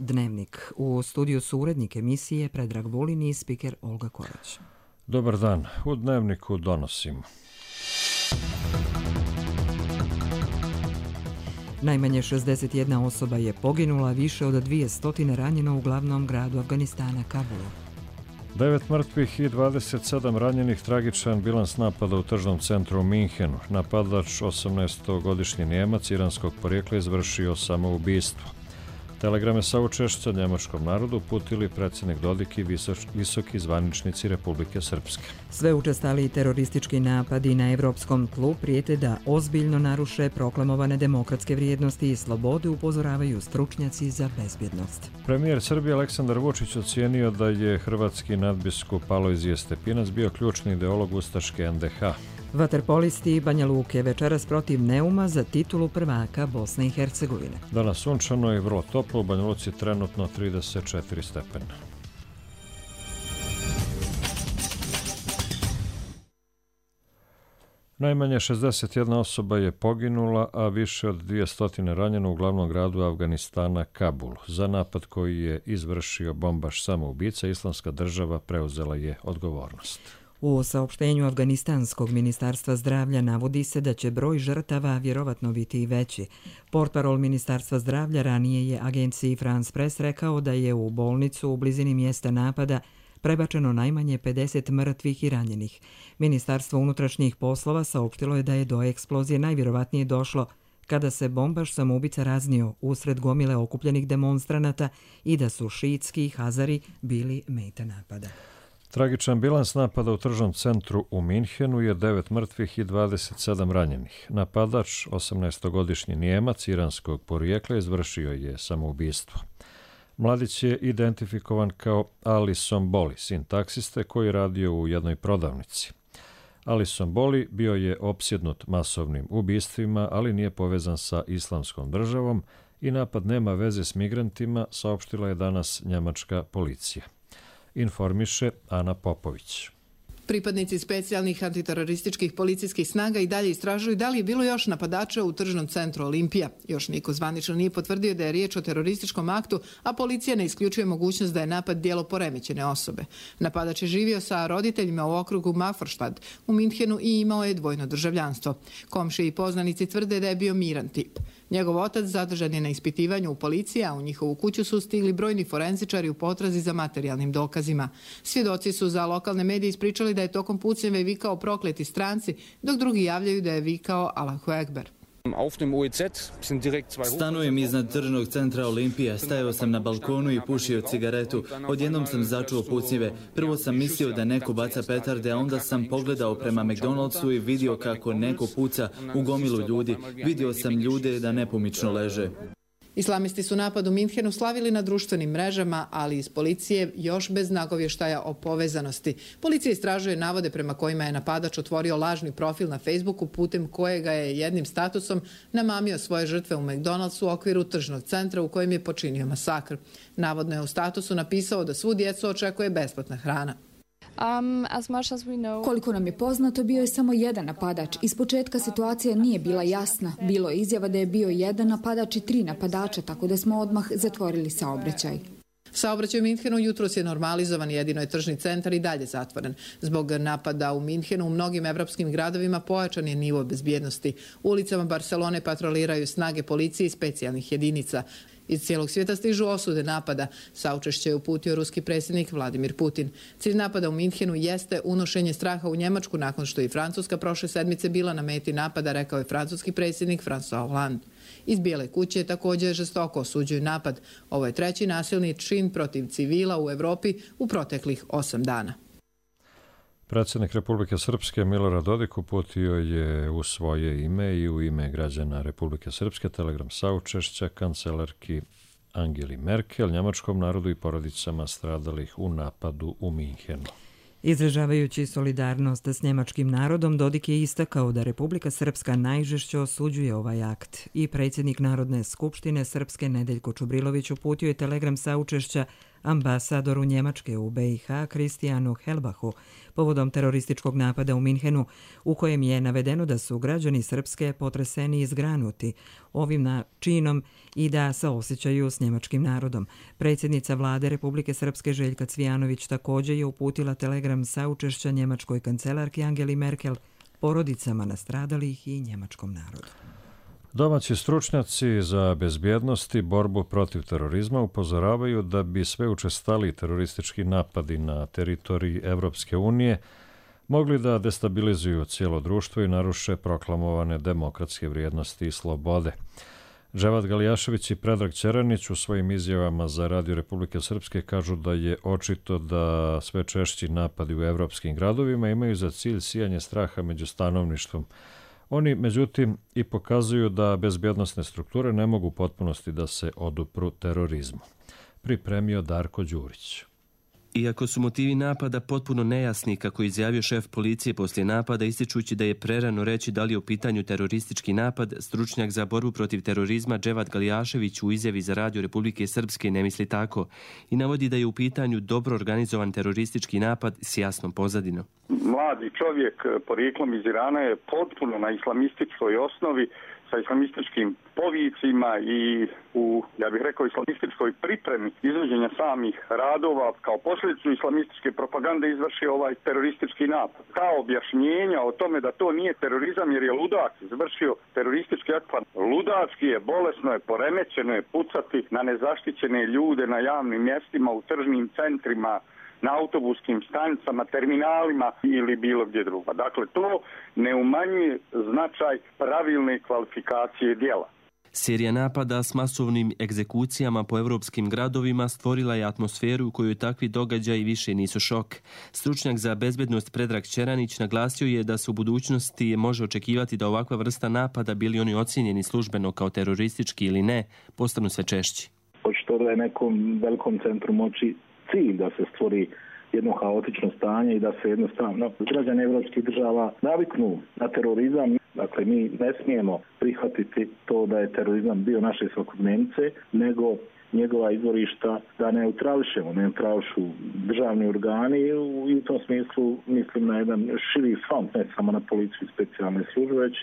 Dnevnik. U studiju su urednik emisije Predrag Vulin i spiker Olga Korać. Dobar dan. U Dnevniku donosimo. Najmanje 61 osoba je poginula, više od 200 ranjeno u glavnom gradu Afganistana, Kabulu. 9 mrtvih i 27 ranjenih, tragičan bilans napada u tržnom centru u Minhenu. Napadač, 18-godišnji Nijemac iranskog porijekla, izvršio samoubistvo. Telegrame saučešća njemačkom narodu uputili predsjednik Dodik i visoki zvaničnici Republike Srpske. Sve učestaliji teroristički napadi na evropskom tlu prijete da ozbiljno naruše proklamovane demokratske vrijednosti i slobode, upozoravaju stručnjaci za bezbjednost. Premijer Srbije Aleksandar Vučić ocijenio da je hrvatski nadbiskup Alojzije Stepinac bio ključni ideolog ustaške NDH. Vaterpolisti Banja Luke večeras protiv Neuma za titulu prvaka Bosne i Hercegovine. Danas sunčano i vrlo toplo, u Banja Luci trenutno 34 stepena. Najmanje 61 osoba je poginula, a više od 200 ranjeno u glavnom gradu Afganistana, Kabulu. Za napad koji je izvršio bombaš samoubica, Islamska država preuzela je odgovornost. U saopštenju Afganistanskog ministarstva zdravlja navodi se da će broj žrtava vjerovatno biti i veći. Portparol ministarstva zdravlja ranije je agenciji France Press rekao da je u bolnicu u blizini mjesta napada prebačeno najmanje 50 mrtvih i ranjenih. Ministarstvo unutrašnjih poslova saopštilo je da je do eksplozije najvjerovatnije došlo kada se bombaš samoubica raznio usred gomile okupljenih demonstranata i da su šiitski i Hazari bili meta napada. Tragičan bilans napada u tržnom centru u Minhenu je 9 mrtvih i 27 ranjenih. Napadač, 18-godišnji Nijemac iranskog porijekla, izvršio je samoubistvo. Mladić je identifikovan kao Ali Somboli, sin taksiste koji je radio u jednoj prodavnici. Ali Somboli bio je opsjednut masovnim ubistvima, ali nije povezan sa Islamskom državom i napad nema veze s migrantima, saopštila je danas njemačka policija. Informiše Ana Popović. Pripadnici specijalnih antiterorističkih policijskih snaga i dalje istražuju da li je bilo još napadača u tržnom centru Olimpija. Još niko zvanično nije potvrdio da je riječ o terorističkom aktu, a policija ne isključuje mogućnost da je napad djelo poremećene osobe. Napadač je živio sa roditeljima u okrugu Maforštad u Minhenu i imao je dvojno državljanstvo. Komšije i poznanici tvrde da je bio miran tip. Njegov otac zadržan je na ispitivanju u policiji, a u njihovu kuću su stigli brojni forenzičari u potrazi za materijalnim dokazima. Svjedoci su za lokalne medije ispričali da je tokom pucnjave vikao prokleti stranci, dok drugi javljaju da je vikao Allahu Ekber. Stanujem iznad tržnog centra Olimpija, stajao sam na balkonu i pušio cigaretu. Odjednom sam začuo pucnjive. Prvo sam mislio da neko baca petarde, a onda sam pogledao prema McDonald'su i vidio kako neko puca u gomilu ljudi. Vidio sam ljude da nepomično leže. Islamisti su napad u Minhenu slavili na društvenim mrežama, ali iz policije još bez nagovještaja o povezanosti. Policija istražuje navode prema kojima je napadač otvorio lažni profil na Facebooku putem kojega je jednim statusom namamio svoje žrtve u McDonald'su u okviru tržnog centra u kojem je počinio masakr. Navodno je u statusu napisao da svu djecu očekuje besplatna hrana. Koliko nam je poznato, bio je samo jedan napadač. Ispočetka situacija nije bila jasna. Bilo je izjava da je bio jedan napadač i 3 napadača, tako da smo odmah zatvorili saobraćaj. Saobraćaj u Minhenu jutros je normalizovan, jedino je tržni centar i dalje zatvoren. Zbog napada u Minhenu u mnogim evropskim gradovima pojačan je nivo bezbjednosti. Ulicama Barcelone patroliraju snage policije i specijalnih jedinica. Iz cijelog svijeta stižu osude napada. Saučešće je uputio ruski predsjednik Vladimir Putin. Cilj napada u Minhenu jeste unošenje straha u Njemačku nakon što je Francuska prošle sedmice bila na meti napada, rekao je francuski predsjednik François Hollande. Iz Bijele kuće također žestoko osuđuju napad. Ovo je 3. nasilni čin protiv civila u Europi u proteklih 8 dana. Predsjednik Republike Srpske Milorad Dodik uputio je u svoje ime i u ime građana Republike Srpske telegram saučešća kancelarki Angeli Merkel, njemačkom narodu i porodicama stradalih u napadu u Minhenu. Izražavajući solidarnost s njemačkim narodom, Dodik je istakao da Republika Srpska najžešće osuđuje ovaj akt i predsjednik Narodne skupštine Srpske Nedeljko Čubrilović uputio je telegram saučešća ambasadoru Njemačke u BiH Kristijanu Helbahu povodom terorističkog napada u Minhenu, u kojem je navedeno da su građani Srpske potreseni i zgranuti ovim činom i da saosjećaju s njemačkim narodom. Predsjednica vlade Republike Srpske Željka Cvijanović također je uputila telegram saučešća njemačkoj kancelarki Angeli Merkel, porodicama nastradalih i njemačkom narodu. Domaći stručnjaci za bezbjednost i borbu protiv terorizma upozoravaju da bi sve učestali teroristički napadi na teritoriji Evropske unije mogli da destabilizuju cijelo društvo i naruše proklamovane demokratske vrijednosti i slobode. Dževat Galijašević i Predrag Ćeranić u svojim izjavama za Radio Republike Srpske kažu da je očito da sve češći napadi u evropskim gradovima imaju za cilj sijanje straha među stanovništvom. Oni, međutim, i pokazuju da bezbjednosne strukture ne mogu u potpunosti da se odupru terorizmu. Pripremio Darko Đurić. Iako su motivi napada potpuno nejasni, kako je izjavio šef policije poslije napada, ističući da je prerano reći da li je u pitanju teroristički napad, stručnjak za borbu protiv terorizma Dževat Galijašević u izjavi za Radio Republike Srpske ne misli tako i navodi da je u pitanju dobro organizovan teroristički napad s jasnom pozadinom. Mladi čovjek porijeklom iz Irana je potpuno na islamističkoj osnovi, sa islamističkim povicima i ja bih rekao, islamističkoj pripremi izvođenja samih radova kao posljedicu islamističke propagande izvršio ovaj teroristički napad. Kao objašnjenja o tome da to nije terorizam jer je ludak izvršio teroristički akt, ludački je, bolesno je, poremećeno je pucati na nezaštićene ljude na javnim mjestima, u tržnim centrima, na autobuskim stanicama, terminalima ili bilo gdje drugo. Dakle, to ne umanjuje značaj pravilne kvalifikacije djela. Serija napada s masovnim egzekucijama po evropskim gradovima stvorila je atmosferu u kojoj takvi događaji više nisu šok. Stručnjak za bezbednost Predrag Ćeranić naglasio je da se u budućnosti može očekivati da ovakva vrsta napada, bili oni ocijenjeni službeno kao teroristički ili ne, postanu sve češći. Očito da je nekom velikom centru moći cilj da se stvori jedno haotično stanje i da se jednostavno građani evropskih država naviknu na terorizam. Dakle, mi ne smijemo prihvatiti to da je terorizam bio naše svakodnevnice, nego njegova izvorišta da neutrališu državni organi i u tom smislu mislim na jedan širi front, ne samo na policiju i specijalne službe, već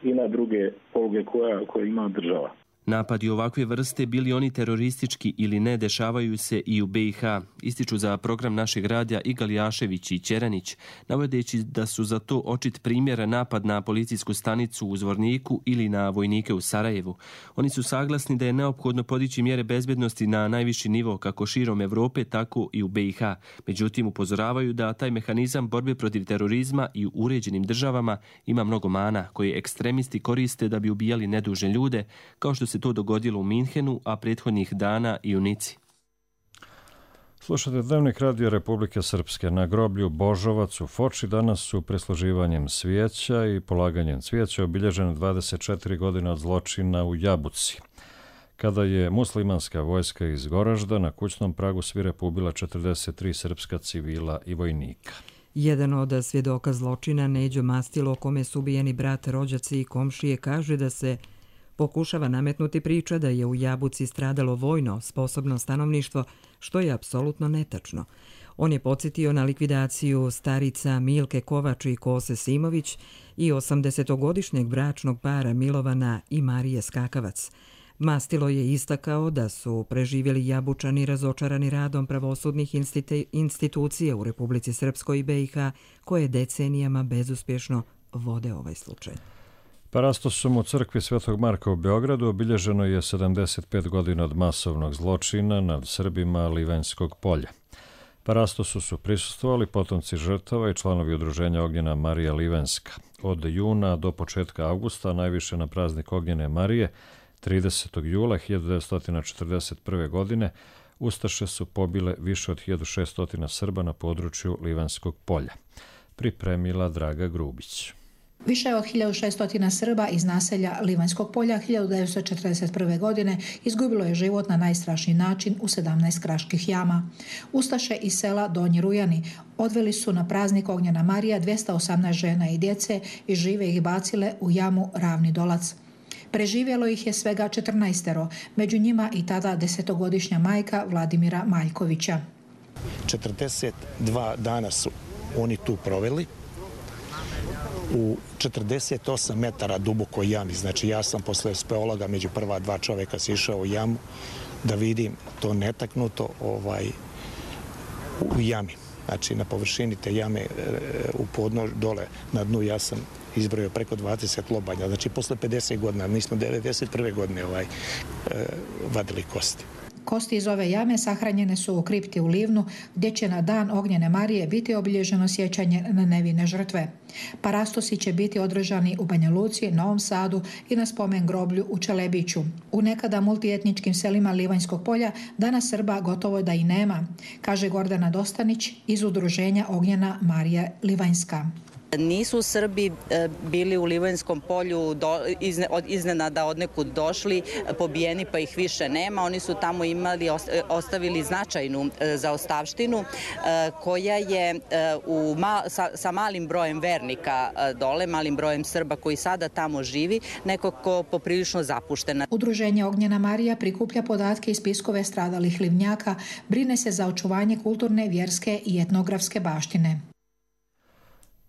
i na druge poluge koje ima država. Napadi ovakve vrste, bili oni teroristički ili ne, dešavaju se i u BiH, ističu za program našeg radija i Galijašević i Ćeranić, navodeći da su za to očit primjer napad na policijsku stanicu u Zvorniku ili na vojnike u Sarajevu. Oni su saglasni da je neophodno podići mjere bezbednosti na najviši nivo kako širom Evrope, tako i u BiH. Međutim, upozoravaju da taj mehanizam borbe protiv terorizma i u uređenim državama ima mnogo mana koje ekstremisti koriste da bi ubijali nedužne ljude, kao što se to dogodilo u Minhenu, a prethodnih dana i u Nici. Slušate Dnevnik Radio Republike Srpske. Na groblju Božovac u Foči danas su prisluživanjem svijeća i polaganjem cvijeća obilježene 24 godine od zločina u Jabuci, kada je muslimanska vojska iz Goražda na kućnom pragu svirepo ubila 43 srpska civila i vojnika. Jedan od svjedoka zločina, Neđo Mastilo, kome su ubijeni brat, rođaci i komšije, kaže da se pokušava nametnuti priča da je u Jabuci stradalo vojno sposobno stanovništvo, što je apsolutno netačno. On je podsjetio na likvidaciju starica Milke Kovač i Kose Simović i 80-godišnjeg bračnog para Milovana i Marije Skakavac. Mastilo je istakao da su preživjeli Jabučani razočarani radom pravosudnih institucija u Republici Srpskoj i BiH, koje decenijama bezuspješno vode ovaj slučaj. Parastosom u crkvi Svetog Marka u Beogradu obilježeno je 75 godina od masovnog zločina nad Srbima Livanjskog polja. Parastosu su prisustvovali potomci žrtava i članovi udruženja Ognjena Marija Livanjska. Od juna do početka avgusta, najviše na praznik Ognjene Marije, 30. jula 1941. godine, ustaše su pobile više od 1600 Srba na području Livanjskog polja. Pripremila Draga Grubić. Više od 1600 Srba iz naselja Livanjskog polja 1941. godine izgubilo je život na najstrašniji način u 17 kraških jama. Ustaše iz sela Donji Rujani odveli su na praznik Ognjena Marija 218 žena i djece i žive ih bacile u jamu Ravni Dolac. Preživjelo ih je svega 14, među njima i tada 10-godišnja majka Vladimira Maljkovića. 42 dana su oni tu proveli u 48 metara dubokoj jami. Znači ja sam posle speologa među prva dva čoveka sišao u jamu da vidim to netaknuto u jami. Znači na površini te jame u podnož dole na dnu ja sam izbrojio preko 20 lobanja. Znači posle 50 godina, mi smo 91. godine vadili kosti. Kosti iz ove jame sahranjene su u kripti u Livnu, gdje će na dan Ognjene Marije biti obilježeno sjećanje na nevine žrtve. Parastosi će biti održani u Banja Luci, Novom Sadu i na spomen groblju u Čelebiću. U nekada multietničkim selima Livanjskog polja danas Srba gotovo da i nema, kaže Gordana Dostanić iz udruženja Ognjena Marija Livanjska. Nisu Srbi bili u Livanjskom polju iznenada od nekud došli, pobijeni pa ih više nema. Oni su tamo ostavili značajnu zaostavštinu koja je sa malim brojem vernika dole, malim brojem Srba koji sada tamo živi, nekako poprilično zapuštena. Udruženje Ognjena Marija prikuplja podatke iz spiskove stradalih Livnjaka, brine se za očuvanje kulturne, vjerske i etnografske baštine.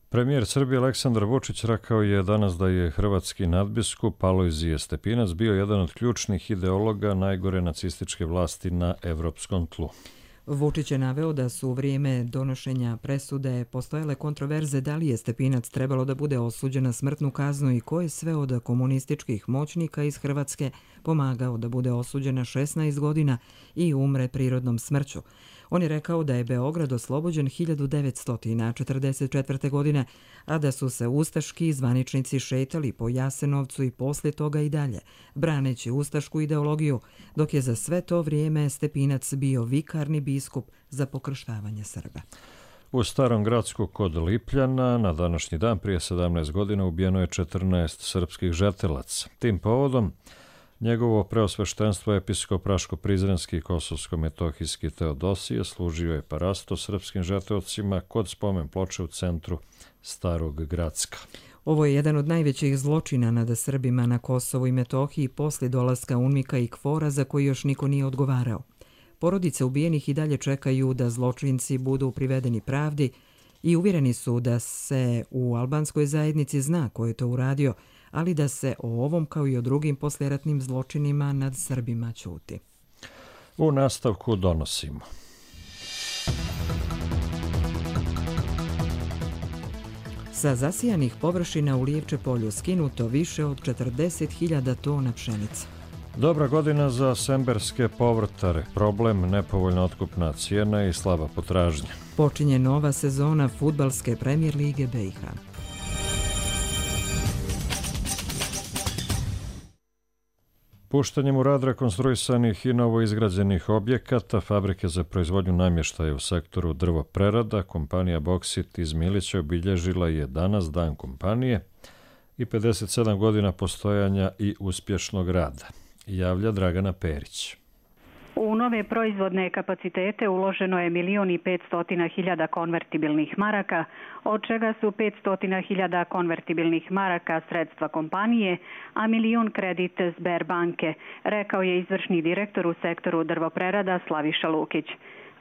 Premijer Srbije Aleksandar Vučić rekao je danas da je hrvatski nadbiskup Alojzije Stepinac bio jedan od ključnih ideologa najgore nacističke vlasti na evropskom tlu. Vučić je naveo da su u vrijeme donošenja presude postojale kontroverze da li je Stepinac trebalo da bude osuđen na smrtnu kaznu i ko je sve od komunističkih moćnika iz Hrvatske pomagao da bude osuđen na 16 godina i umre prirodnom smrću. On je rekao da je Beograd oslobođen 1944. godine, a da su se ustaški zvaničnici šetali po Jasenovcu i poslije toga i dalje, braneći ustašku ideologiju, dok je za sve to vrijeme Stepinac bio vikarni biskup za pokrštavanje Srba. U Starom Gradsku kod Lipljana na današnji dan prije 17 godina ubijeno je 14 srpskih žetelaca. Tim povodom njegovo preosveštenstvo episkop Raško-Prizrenski i Kosovsko-Metohijski Teodosije služio je parasto srpskim žeteocima kod spomen ploče u centru Starog Gracka. Ovo je jedan od najvećih zločina nad Srbima na Kosovu i Metohiji poslije dolaska UNMIK-a i KFOR-a za koji još niko nije odgovarao. Porodice ubijenih i dalje čekaju da zločinci budu privedeni pravdi i uvjereni su da se u albanskoj zajednici zna ko je to uradio, ali da se o ovom kao i o drugim poslijeratnim zločinima nad Srbima ćuti. U nastavku donosimo. Sa zasijanih površina u Lijevče polju skinuto više od 40.000 tona pšenice. Dobra godina za semberske povrtare, problem nepovoljna otkupna cijena i slaba potražnja. Počinje nova sezona fudbalske Premier lige BiH. Puštanjem u rad rekonstruisanih i novoizgrađenih objekata fabrike za proizvodnju namještaja u sektoru drvoprerada, kompanija Boksit iz Milića obilježila je danas dan kompanije i 57 godina postojanja i uspješnog rada, javlja Dragana Perić. U nove proizvodne kapacitete uloženo je 1.500.000 konvertibilnih maraka, od čega su 500.000 konvertibilnih maraka sredstva kompanije, a 1.000.000 kredit Sberbanke, rekao je izvršni direktor u sektoru drvoprerada Slaviša Lukić.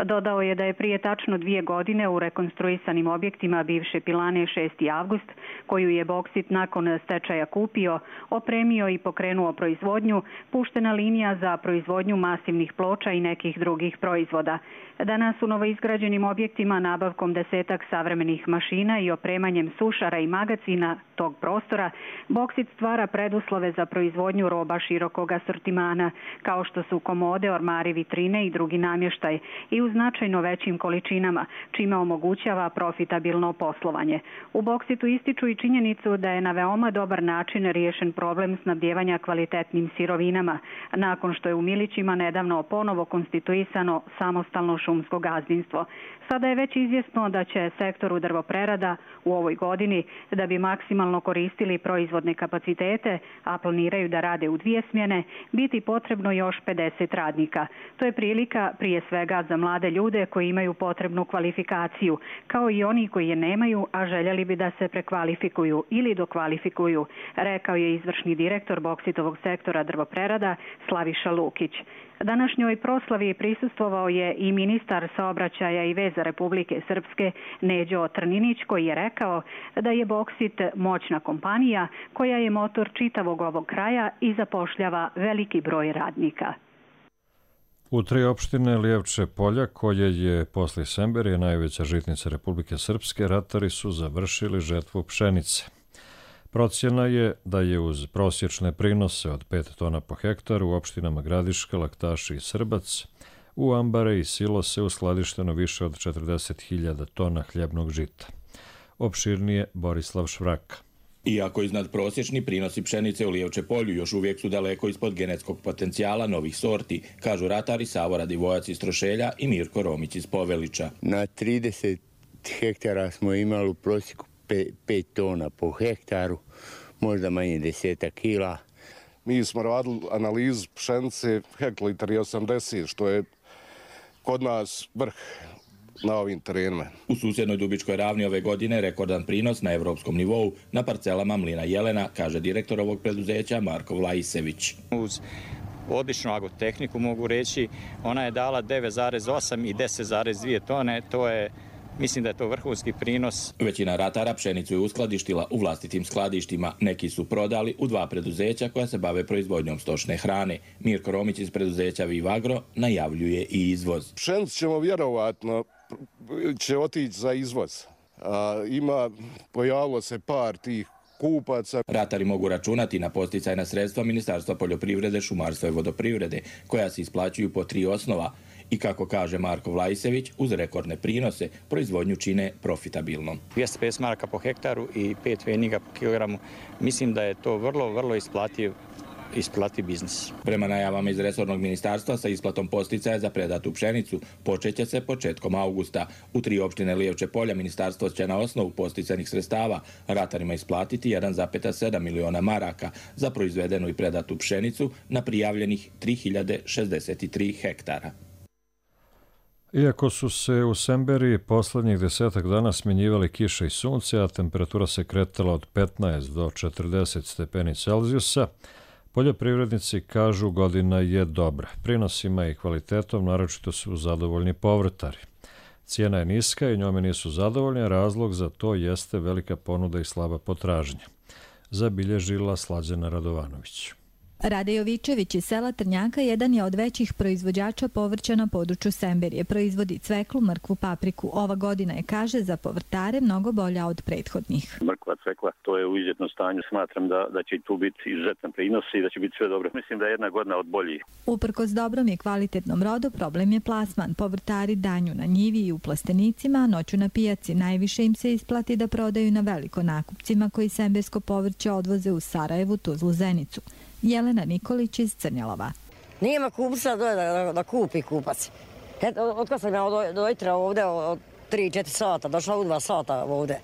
Dodao je da je prije tačno 2 godine u rekonstruisanim objektima bivše pilane 6. avgust, koju je Boksit nakon stečaja kupio, opremio i pokrenuo proizvodnju, puštena linija za proizvodnju masivnih ploča i nekih drugih proizvoda. Danas u novoizgrađenim objektima nabavkom 10 savremenih mašina i opremanjem sušara i magacina tog prostora, Boksit stvara preduslove za proizvodnju roba širokog asortimana, kao što su komode, ormari, vitrine i drugi namještaj, i u značajno većim količinama, čime omogućava profitabilno poslovanje. U Boksitu ističu i činjenicu da je na veoma dobar način riješen problem snabdjevanja kvalitetnim sirovinama, nakon što je u Milićima nedavno ponovo konstituisano samostalno šumsko gazdinstvo. Sada je već izvjesno da će sektoru drvoprerada u ovoj godini, da bi maksimalno koristili proizvodne kapacitete, a planiraju da rade u 2 smjene, biti potrebno još 50 radnika. To je prilika prije svega za mlade mlade ljude koji imaju potrebnu kvalifikaciju, kao i oni koji je nemaju, a željeli bi da se prekvalifikuju ili dokvalifikuju, rekao je izvršni direktor Boksitovog sektora drvoprerada Slaviša Lukić. Današnjoj proslavi prisustvovao je i ministar saobraćaja i veza Republike Srpske Neđo Trninić, koji je rekao da je Boksit moćna kompanija koja je motor čitavog ovog kraja i zapošljava veliki broj radnika. U 3 opštine Lijevče polja, koje je posle Semberije najveća žitnica Republike Srpske, ratari su završili žetvu pšenice. Procjena je da je uz prosječne prinose od 5 tona po hektaru u opštinama Gradiška, Laktaši i Srbac u ambare i silose uskladišteno više od 40.000 tona hljebnog žita. Opširnije Borislav Švraka. Iako iznad prosječni prinosi pšenice u Lijevče polju još uvijek su daleko ispod genetskog potencijala novih sorti, kažu ratari Savo Radivojac iz Trošelja i Mirko Romić iz Povelića. Na 30 hektara smo imali u prosjeku 5 tona po hektaru, možda manje 10 kila. Mi smo radili analizu pšenice hektolitar je 80, što je kod nas vrh na ovim terenima. U susjednoj Dubičkoj ravni ove godine rekordan prinos na evropskom nivou na parcelama mlina Jelena, kaže direktor ovog preduzeća Marko Vlaisević. Uz odličnu agrotehniku mogu reći, ona je dala 9,8 i 10,2 tone, to je mislim da je to vrhunski prinos. Većina ratara pšenicu je uskladištila u vlastitim skladištima. Neki su prodali u 2 preduzeća koja se bave proizvodnjom stočne hrane. Mirko Romić iz preduzeća Vivagro najavljuje i izvoz. Pšenicu ćemo vjerovatno će otići za izvoz. Pojavilo se par tih kupaca. Ratari mogu računati na posticajna sredstva Ministarstva poljoprivrede, šumarstva i vodoprivrede, koja se isplaćuju po 3 osnova. I kako kaže Marko Vlaisević, uz rekordne prinose proizvodnju čine profitabilnom. 250 maraka po hektaru i 5 pfeniga po kilogramu. Mislim da je to vrlo isplativ biznis. Prema najavama iz resornog ministarstva sa isplatom posticaja za predatu pšenicu počeće se početkom augusta. U 3 opštine Lijevče polja ministarstvo će na osnovu posticajnih sredstava ratarima isplatiti 1,7 miliona maraka za proizvedenu i predatu pšenicu na prijavljenih 3063 hektara. Iako su se u Semberiji poslednjih 10 dana smjenjivali kiša i sunce, a temperatura se kretala od 15 do 40 stepeni Celzijusa, poljoprivrednici kažu godina je dobra. Prinosima i kvalitetom naročito su zadovoljni povrtari. Cijena je niska i njome nisu zadovoljni, a razlog za to jeste velika ponuda i slaba potražnja, zabilježila Slađana Radovanović. Rade Jovičević iz sela Trnjaka jedan je od većih proizvođača povrća na području Semberije. Proizvodi cveklu, mrkvu, papriku. Ova godina je, kaže, za povrtare mnogo bolja od prethodnih. Mrkva, cvekla, to je u izuzetnom stanju. Smatram da će tu biti izuzetan prinos i da će biti sve dobro. Mislim da je jedna godina od boljih. Uprkos dobrom i kvalitetnom rodu, problem je plasman. Povrtari danju na njivi i u plastenicima, a noću na pijaci. Najviše im se isplati da prodaju na veliko nakupcima koji sembersko povrće odvoze u Sarajevu, Tuzlu, Zenicu. Jelena Nikolić iz Crnjalova. Nijema kupca da kupi kupac. Otkad sam ja dojitra ovdje od 3-4 sata, došla u 2 sata ovdje.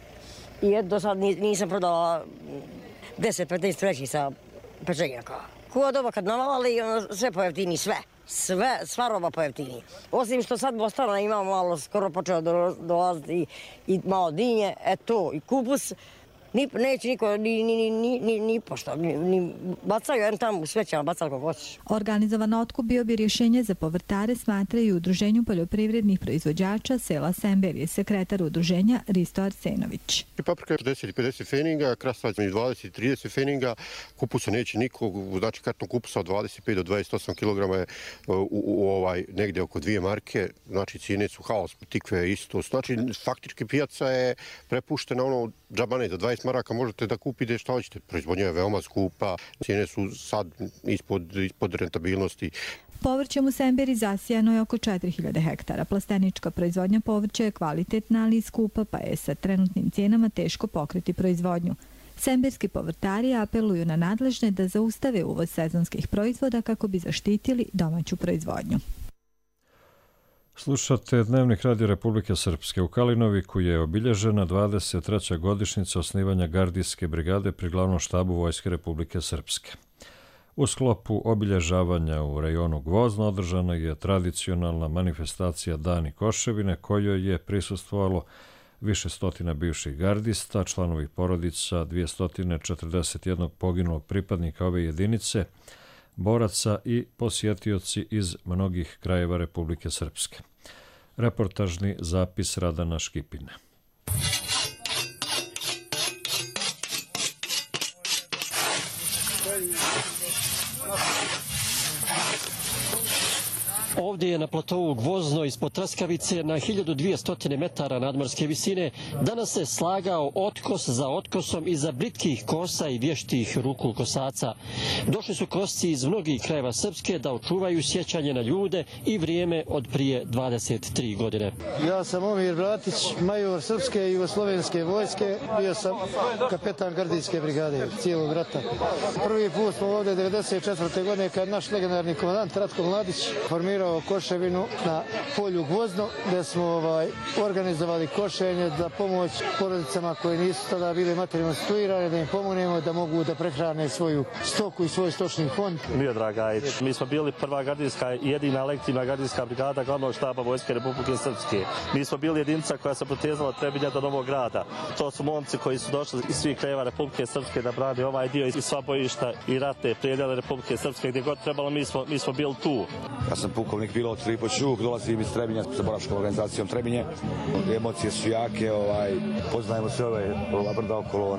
I do sad nisam prodala 10-15 vrećica pečenjaka. Kuva doba kad navali, sve pojeftini, sva roba pojeftini. Osim što sad Bostana ima malo, skoro počeo dolaziti i malo dinje, eto, i kupus. Neće niko ni pošto, ni bacaju jedan tamo u svećama, bacali kako hoćeš. Organizovan otkup bio bi rješenje za povrtare, smatraju u Udruženju poljoprivrednih proizvođača sela Semberije, sekretar udruženja Risto Arsenović. Paprika je 10-50 feninga, krastavac je 20-30 feninga, kupusa neće nikog, znači karton kupusa od 25 do 28 kg je negdje oko 2 marke, znači cijene su haos, tikve isto, znači faktički pijaca je prepuštena ono džabane za 20 maraka možete da kupite šta hoćete. Proizvodnja je veoma skupa, cijene su sad ispod rentabilnosti. Povrćem u Semberi zasijano je oko 4000 hektara. Plastenička proizvodnja povrća je kvalitetna, ali i skupa, pa je sa trenutnim cijenama teško pokriti proizvodnju. Semberski povrtari apeluju na nadležne da zaustave uvoz sezonskih proizvoda kako bi zaštitili domaću proizvodnju. Slušate Dnevnik Radio Republike Srpske. U Kalinoviku je obilježena 23. godišnjica osnivanja gardijske brigade pri glavnom štabu Vojske Republike Srpske. U sklopu obilježavanja u rejonu Gvozno održana je tradicionalna manifestacija Dani Koševine, kojoj je prisustvovalo više stotina bivših gardista, članovih porodica 241 poginulog pripadnika ove jedinice, boraca i posjetioci iz mnogih krajeva Republike Srpske. Reportažni zapis Radana Škipine. Ovdje je na platovu Gvozno ispod Traskavice na 1200 metara nadmorske visine danas se slagao otkos za otkosom iza britkih kosa i vještih ruku kosaca. Došli su kosci iz mnogih krajeva Srpske da očuvaju sjećanje na ljude i vrijeme od prije 23 godine. Ja sam Omir Bratić, major Srpske i Jugoslovenske vojske, bio sam kapetan gardijske brigade cijelog rata. Prvi put smo ovdje 1994. godine kad naš legendarni komandant Ratko Mladić formirao Koševinu na polju Gvozno, gdje smo organizovali košenje za pomoć porodicama koje nisu tada bile materijalno situirane, da im pomognemo da mogu da prehrane svoju stoku i svoj stočni fond. Miodrag Gajić, mi smo bili prva gardijska i jedina lektivna gardijska brigada glavnog štaba Vojske Republike Srpske. Mi smo bili jedinica koja se protezala Trebinja do Novog Grada. To su momci koji su došli iz svih krajeva Republike Srpske da brane ovaj dio i sva bojišta i rate predjele Republike Srpske. Gdje god trebalo, mi smo bili tu. Ja sam pukovnik pilot Filipo Čuk, dolazim iz Trebinja sa boračkom organizacijom Trebinje. Emocije su jake, poznajemo sve ova brda okolo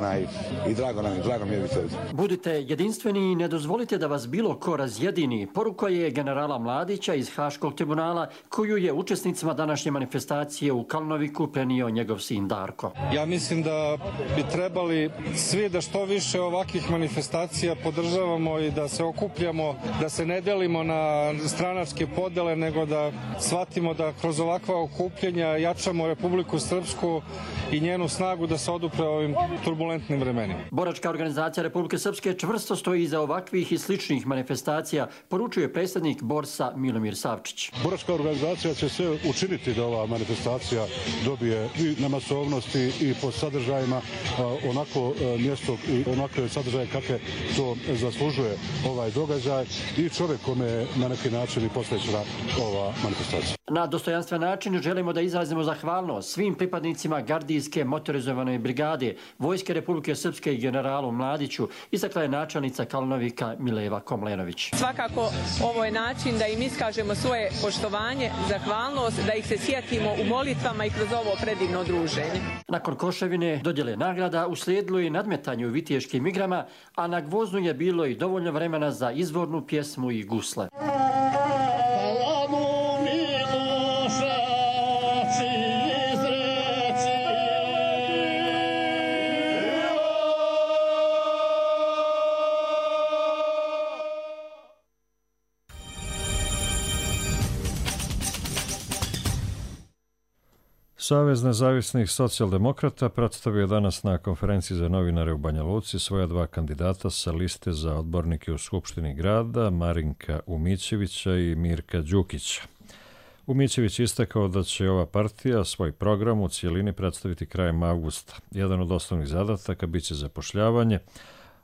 i drago mi je biti ovdje. Budite jedinstveni i ne dozvolite da vas bilo ko razjedini. Poruka je generala Mladića iz Haškog tribunala, koju je učesnicima današnje manifestacije u Kalnoviku prenio njegov sin Darko. Ja mislim da bi trebali svi da što više ovakvih manifestacija podržavamo i da se okupljamo, da se ne delimo na stranačke podele, nego da shvatimo da kroz ovakva okupljanja jačamo Republiku Srpsku i njenu snagu da se odupre ovim turbulentnim vremenima. Boračka organizacija Republike Srpske čvrsto stoji iza ovakvih i sličnih manifestacija, poručuje predsjednik Borsa Milomir Savčić. Boračka organizacija će sve učiniti da ova manifestacija dobije i na masovnosti i po sadržajima onako mjesto i onakve sadržaje kakve to zaslužuje ovaj događaj i čovjek kome je na neki način i posvećena ova manifestacija. Na dostojanstven način želimo da izrazimo zahvalnost svim pripadnicima gardijske motorizovane brigade Vojske Republike Srpske i generalu Mladiću, istakla je načelnica Kalnovika Mileva Komlenović. Svakako ovo je način da im iskažemo svoje poštovanje, zahvalnost, da ih se sjetimo u molitvama i kroz ovo predivno druženje. Nakon Koševine dodjele nagrada uslijedilo je nadmetanje u viteškim igrama, a na Gvoznu je bilo i dovoljno vremena za izvornu pjesmu i gusle. Savez nezavisnih socijaldemokrata predstavio danas na konferenciji za novinare u Banja Luci svoja dva kandidata sa liste za odbornike u Skupštini grada, Marinka Umićevića i Mirka Đukića. Umićević istakao da će ova partija svoj program u cijelini predstaviti krajem avgusta. Jedan od osnovnih zadataka biće zapošljavanje,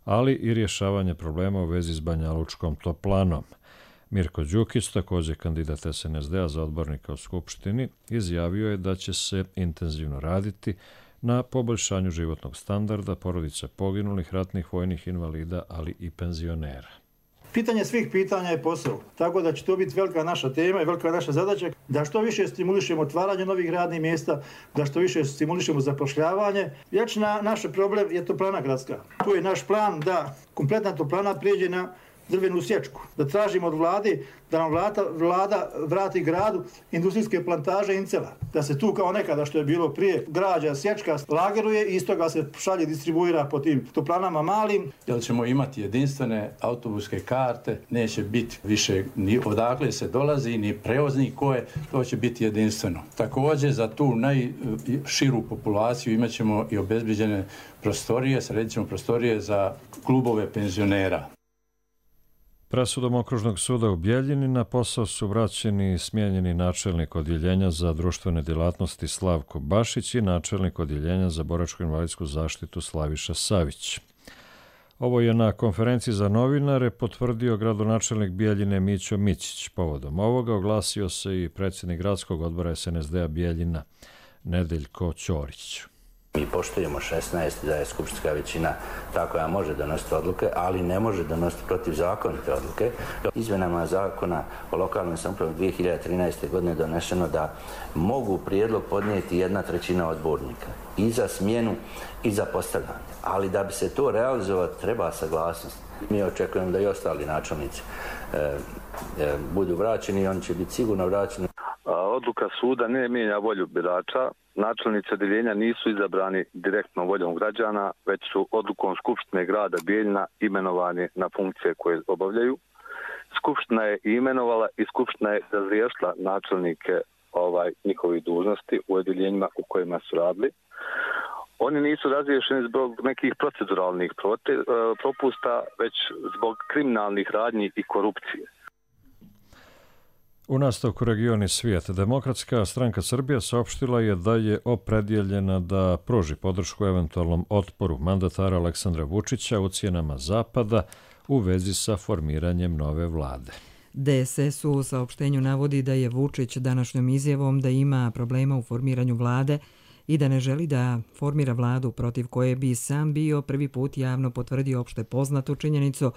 ali i rješavanje problema u vezi s Banjalučkom toplanom. Mirko Đukić, također kandidat SNSD-a za odbornika u Skupštini, izjavio je da će se intenzivno raditi na poboljšanju životnog standarda porodica poginulih ratnih vojnih invalida, ali i penzionera. Pitanje svih pitanja je posao, tako da će to biti velika naša tema i velika naša zadaća da što više stimulišemo otvaranje novih radnih mjesta, da što više stimulišemo zapošljavanje. Vječna naš problem je toplana gradska. Tu je naš plan da kompletna toplana prijeđe na drvenu sječku, da tražimo od vlade da nam vlada vrati gradu industrijske plantaže incela, da se tu kao nekada što je bilo prije građa, sječka, lageruje i iz toga se šalje distribuira po tim toplanama malim. Jer ćemo imati jedinstvene autobuske karte, neće biti više ni odakle se dolazi, ni prevoznik koje, to će biti jedinstveno. Također za tu najširu populaciju imat ćemo i obezbeđene prostorije, sredit ćemo prostorije za klubove penzionera. Presudom Okružnog suda u Bjeljini na posao su vraćeni i smijenjeni načelnik odjeljenja za društvene djelatnosti Slavko Bašić i načelnik odjeljenja za boračko-invalidsku zaštitu Slaviša Savić. Ovo je na konferenciji za novinare potvrdio gradonačelnik Bijeljine Mićo Mićić. Povodom ovoga oglasio se i predsjednik gradskog odbora SNSD-a Bijeljina Nedeljko Ćorić. Mi poštujemo 16 da je skupštinska većina ta koja može donositi odluke, ali ne može donositi protivzakonite odluke. Izmjenama zakona o lokalnoj samoupravi 2013. godine donešeno da mogu prijedlog podnijeti 1/3 odbornika i za smjenu i za postavljanje. Ali da bi se to realizovalo treba saglasnost. Mi očekujemo da i ostali načelnici budu vraćeni i oni će biti sigurno vraćeni. Odluka suda ne mijenja volju birača. Načelnici odeljenja nisu izabrani direktnom voljom građana, već su odlukom Skupštine grada Bijeljina imenovani na funkcije koje obavljaju. Skupština je imenovala i Skupština je razriješila načelnike njihovih dužnosti u odeljenjima u kojima su radili. Oni nisu razriješeni zbog nekih proceduralnih propusta, već zbog kriminalnih radnji i korupcije. U nastavku Region i svijet, Demokratska stranka Srbije saopštila je da je opredjeljena da pruži podršku eventualnom otporu mandatara Aleksandra Vučića ucjenama Zapada u vezi sa formiranjem nove vlade. DSS u saopštenju navodi da je Vučić današnjom izjavom da ima problema u formiranju vlade i da ne želi da formira vladu protiv koje bi sam bio prvi put javno potvrdio opšte poznatu činjenicu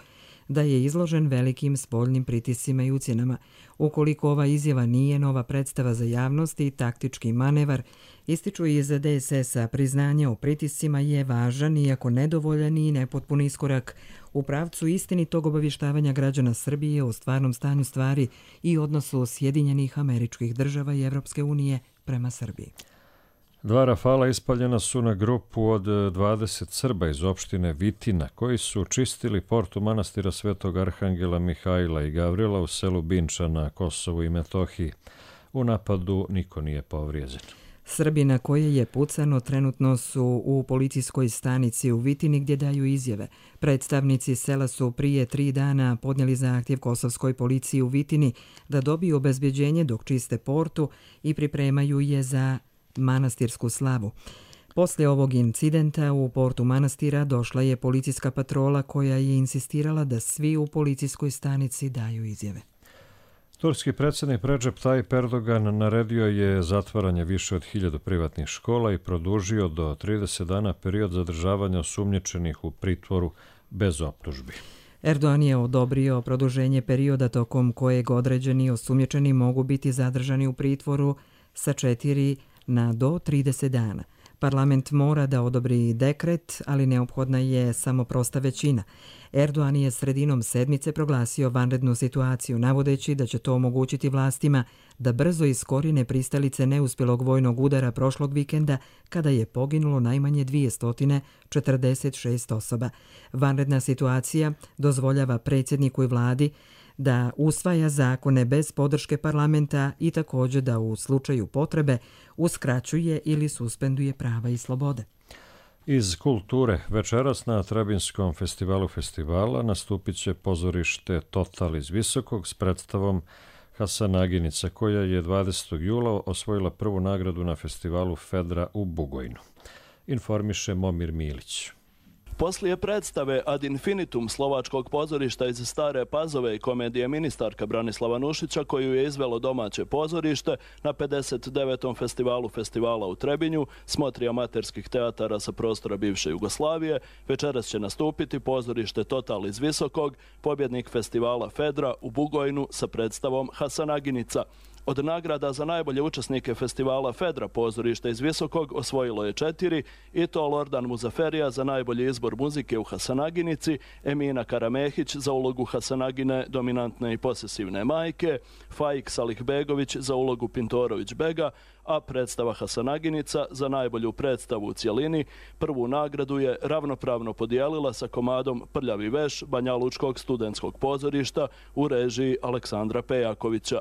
da je izložen velikim spoljnim pritiscima i ucjenama. Ukoliko ova izjava nije nova predstava za javnost i taktički manevar, ističu iz DSS-a, priznanje o pritiscima je važan, iako nedovoljan i nepotpun iskorak u pravcu istinitog obavještavanja građana Srbije o stvarnom stanju stvari i odnosu Sjedinjenih Američkih Država i Evropske unije prema Srbiji. 2 Rafala ispaljena su na grupu od 20 Srba iz opštine Vitina, koji su čistili portu manastira Svetog Arhangela Mihajla i Gavrila u selu Binča na Kosovu i Metohiji. U napadu niko nije povrijeđen. Srbi na koje je pucano trenutno su u policijskoj stanici u Vitini gdje daju izjave. Predstavnici sela su prije 3 dana podnijeli zahtjev kosovskoj policiji u Vitini da dobiju obezbjeđenje dok čiste portu i pripremaju je za manastirsku slavu. Poslije ovog incidenta u portu manastira došla je policijska patrola koja je insistirala da svi u policijskoj stanici daju izjave. Turski predsjednik Recep Tayyip Erdogan naredio je zatvaranje više od 1000 privatnih škola i produžio do 30 dana period zadržavanja osumnjičenih u pritvoru bez optužbi. Erdogan je odobrio produženje perioda tokom kojeg određeni osumnjičeni mogu biti zadržani u pritvoru sa 4 na do 30 dana. Parlament mora da odobri dekret, ali neophodna je samo prosta većina. Erdogan je sredinom sedmice proglasio vanrednu situaciju, navodeći da će to omogućiti vlastima da brzo iskorine pristalice neuspjelog vojnog udara prošlog vikenda, kada je poginulo najmanje 246 osoba. Vanredna situacija dozvoljava predsjedniku i vladi da usvaja zakone bez podrške parlamenta i također da u slučaju potrebe uskraćuje ili suspenduje prava i slobode. Iz kulture, večeras na Trebinskom festivalu festivala nastupit će pozorište Total iz Visokog s predstavom Hasanaginica, koja je 20. jula osvojila prvu nagradu na festivalu Fedra u Bugojnu. Informiše Momir Milić. Poslije predstave Ad infinitum slovačkog pozorišta iz Stare Pazove i komedije ministarka Branislava Nušića, koju je izvelo domaće pozorište na 59. festivalu festivala u Trebinju, smotri amaterskih teatara sa prostora bivše Jugoslavije, večeras će nastupiti pozorište Total iz Visokog, pobjednik festivala Fedra u Bugojnu sa predstavom Hasanaginica. Od nagrada za najbolje učesnike festivala Fedra pozorište iz Visokog osvojilo je 4, i to Lordan Muzaferija za najbolji izbor muzike u Hasanaginici, Emina Karamehić za ulogu Hasanagine, dominantne i posesivne majke, Faik Salihbegović za ulogu Pintorović Bega, a predstava Hasanaginica za najbolju predstavu u cjelini prvu nagradu je ravnopravno podijelila sa komadom Prljavi veš Banjalučkog studentskog pozorišta u režiji Aleksandra Pejakovića.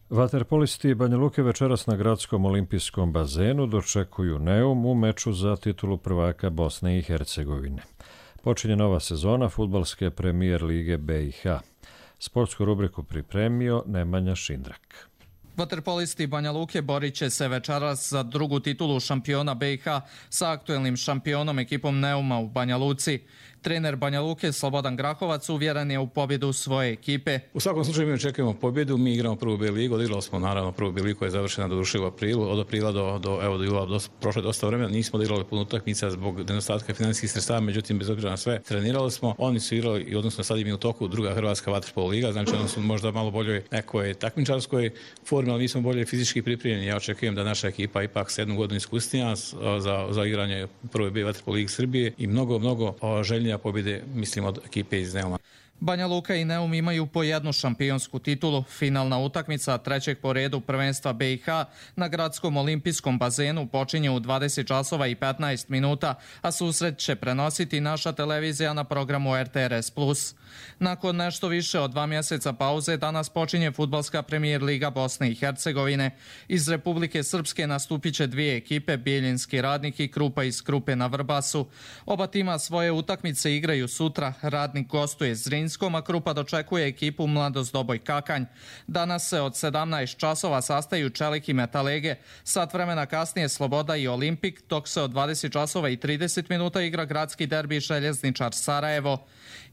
Vaterpolisti Banja Luke večeras na gradskom olimpijskom bazenu dočekuju Neum u meču za titulu prvaka Bosne i Hercegovine. Počinje nova sezona fudbalske premijer lige BiH. Sportsku rubriku pripremio Nemanja Šindrak. Vaterpolisti Banja Luke borit će se večeras za drugu titulu šampiona BiH sa aktuelnim šampionom ekipom Neuma u Banja Luci. Trener Banja Luke Slobodan Grahovac uvjeren je u pobjedu svoje ekipe. U svakom slučaju mi očekujemo pobjedu, mi igramo prvu B ligu, odigrali smo naravno prvu B ligu koja je završena doduše u aprilu, od aprila do jula prošlo je dosta vremena, nismo odigrali puno utakmica zbog nedostatka financijskih sredstava, međutim bez obzira na sve trenirali smo, oni su igrali i odnosno sad im je u toku druga hrvatska vaterpolo liga, znači oni su možda malo boljoj nekoj takmičarskoj formi, ali mi smo bolje fizički pripremljeni. Ja očekujem da naša ekipa ipak 7 godina iskusnija za igranje prve B vaterpolo lige Srbije i mnogo željnija pobjede, mislim, od ekipe iz Neuma. Banja Luka i Neum imaju po jednu šampionsku titulu. Finalna utakmica trećeg po redu prvenstva BiH na gradskom olimpijskom bazenu počinje u 20 časova i 15 minuta, a susret će prenositi naša televizija na programu RTRS+. Nakon nešto više od 2 mjeseca pauze danas počinje fudbalska premijer liga Bosne i Hercegovine. Iz Republike Srpske nastupit će dvije ekipe, Bijeljinski Radnik i Krupa iz Krupe na Vrbasu. Oba tima svoje utakmice igraju sutra. Radnik gostuje Zrinskom, a Krupa dočekuje ekipu Mladost Doboj Kakanj. Danas se od 17 časova sastaju Čelik i Metalege. Sat vremena kasnije Sloboda i Olimpik, dok se od 20 časova i 30 minuta igra gradski derbi Željezničar Sarajevo.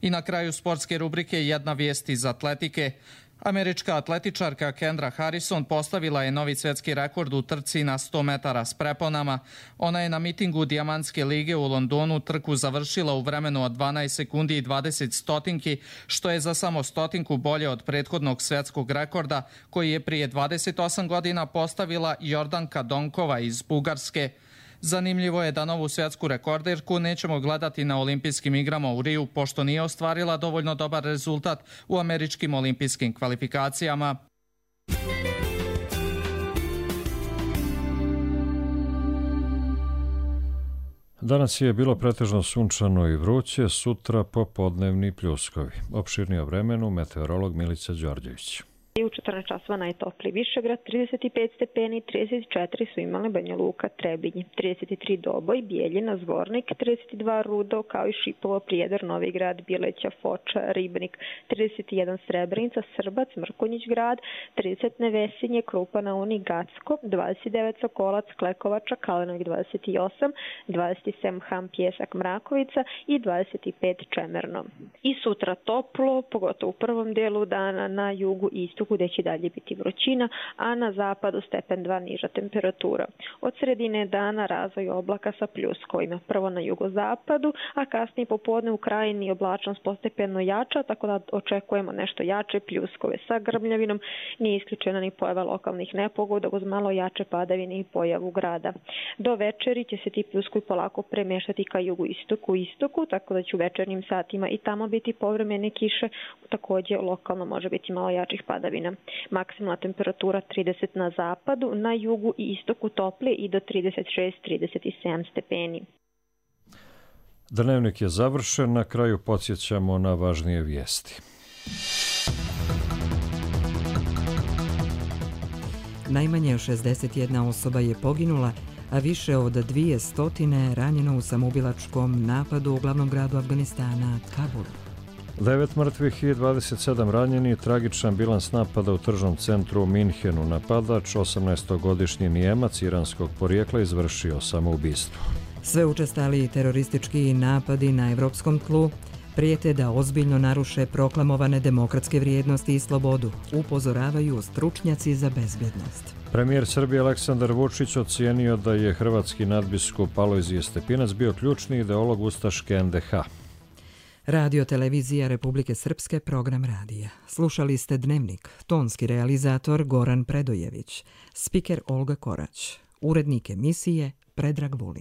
I na kraju sportske rubrike jedna vijest iz atletike. Američka atletičarka Kendra Harrison postavila je novi svjetski rekord u trci na 100 metara s preponama. Ona je na mitingu Dijamantske lige u Londonu trku završila u vremenu od 12 sekundi i 20 stotinki, što je za samo stotinku bolje od prethodnog svjetskog rekorda koji je prije 28 godina postavila Jordanka Donkova iz Bugarske. Zanimljivo je da novu svjetsku rekorderku nećemo gledati na olimpijskim igrama u Riju, pošto nije ostvarila dovoljno dobar rezultat u američkim olimpijskim kvalifikacijama. Danas je bilo pretežno sunčano i vruće, sutra popodnevni pljuskovi. Opširnije o vremenu meteorolog Milica Đorđević. U 14 časova najtopliji Višegrad, 35 stepeni, 34 su imali Banja Luka, Trebinje, 33 Doboj, Bijeljina, Zvornik, 32 Rudo, kao i Šipovo, Prijedor, Novi Grad, Bileća, Foča, Ribnik, 31 Srebrenica, Srbac, Mrkonjić grad, 30 Nevesinje, Krupa na Uni, Gacko, 29 Sokolac, Klekovača, Kalenovik 28, 27 Ham, Pjesak, Mrakovica i 25 Čemerno. I sutra toplo, pogotovo u prvom dijelu dana na jugu i istoku gdje će dalje biti vrućina, a na zapadu stepen 2 niža temperatura. Od sredine dana razvoj oblaka sa pljuskovima. Prvo na jugozapadu, a kasnije popodne u krajini oblačnost postepeno jača, tako da očekujemo nešto jače pljuskove sa grmljavinom. Nije isključena ni pojava lokalnih nepogoda uz malo jače padavine i pojavu grada. Do večeri će se ti pljuskovi polako premještati ka jugu-istoku, tako da će u večernjim satima i tamo biti povremene kiše, također lokalno može biti malo jačih padavina. Maksimalna temperatura 30 na zapadu, na jugu i istoku toplije i do 36-37 stepeni. Dnevnik je završen, na kraju podsjećamo na važnije vijesti. Najmanje 61 osoba je poginula, a više od 200 ranjeno u samoubilačkom napadu u glavnom gradu Afganistana, Kabulu. 9 mrtvih i 27 ranjeni, tragičan bilans napada u tržnom centru u Minhenu. Napadač, 18-godišnji Nijemac iranskog porijekla, izvršio samoubistvo. Sve učestali teroristički napadi na evropskom tlu prijete da ozbiljno naruše proklamovane demokratske vrijednosti i slobodu, upozoravaju stručnjaci za bezbjednost. Premijer Srbije Aleksandar Vučić ocijenio da je hrvatski nadbiskup Alojzije Stepinac bio ključni ideolog ustaške NDH. Radio televizija Republike Srpske, program radija. Slušali ste Dnevnik, tonski realizator Goran Predojević, spiker Olga Korać, urednik emisije Predrag Vulin.